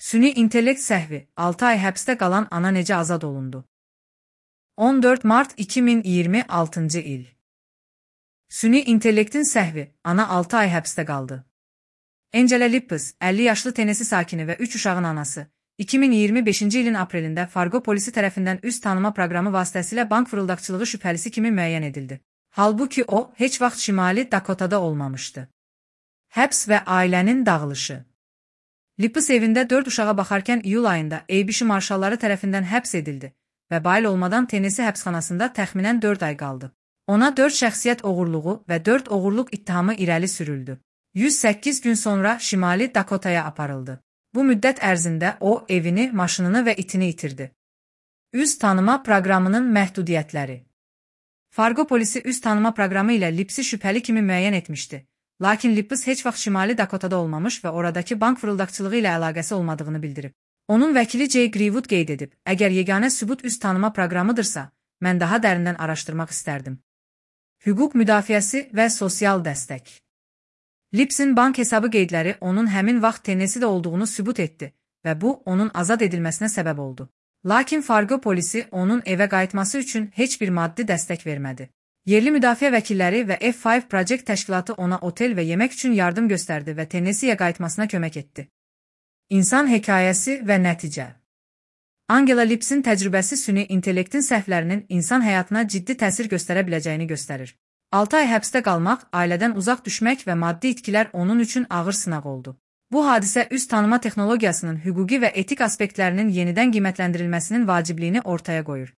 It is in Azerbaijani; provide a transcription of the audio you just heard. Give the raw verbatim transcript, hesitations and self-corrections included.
Süni intellekt səhvi, altı ay həbsdə qalan ana necə azad olundu? on dörd mart iki min iyirmi altıncı il. Süni intellektin səhvi, ana altı ay həbsdə qaldı. Angela Lippis, əlli yaşlı Tennessee sakini və üç uşağın anası, iki min iyirmi beşinci ilin aprelində Fargo polisi tərəfindən üz tanıma proqramı vasitəsilə bank fırıldaqçılığı şübhəlisi kimi müəyyən edildi. Halbuki o, heç vaxt Şimali Dakotada olmamışdı. Həbs və ailənin dağılışı. Lippis evində dörd uşağa baxarkən iyul ayında A B C marşalları tərəfindən həbs edildi və bayıl olmadan Tennessee həbsxanasında təxminən dörd ay qaldı. Ona dörd şəxsiyyət oğurluğu və dörd oğurluq ittihamı irəli sürüldü. yüz səkkiz gün sonra Şimali Dakotaya aparıldı. Bu müddət ərzində o, evini, maşınını və itini itirdi. Üz tanıma proqramının məhdudiyyətləri. Fargo polisi üz tanıma proqramı ilə Lippisi şübhəli kimi müəyyən etmişdi. Lakin Lippis heç vaxt Şimali Dakotada olmamış və oradakı bank fırıldaqçılığı ilə əlaqəsi olmadığını bildirib. Onun vəkili Jay Greenwood qeyd edib, əgər yeganə sübut üz tanıma proqramıdırsa, mən daha dərindən araşdırmaq istərdim. Hüquq müdafiəsi və sosial dəstək. Lippisin bank hesabı qeydləri onun həmin vaxt Tennessee'də olduğunu sübut etdi və bu, onun azad edilməsinə səbəb oldu. Lakin Fargo polisi onun evə qayıtması üçün heç bir maddi dəstək vermədi. Yerli müdafiə vəkilləri və F beş Project təşkilatı ona otel və yemək üçün yardım göstərdi və Tennessee'yə qayıtmasına kömək etdi. İnsan hekayəsi və nəticə. Angela Lippisin təcrübəsi süni intellektin səhvlərinin insan həyatına ciddi təsir göstərə biləcəyini göstərir. altı ay həbsdə qalmaq, ailədən uzaq düşmək və maddi itkilər onun üçün ağır sınaq oldu. Bu hadisə üz tanıma texnologiyasının hüquqi və etik aspektlərinin yenidən qiymətləndirilməsinin vacibliyini ortaya qoyur.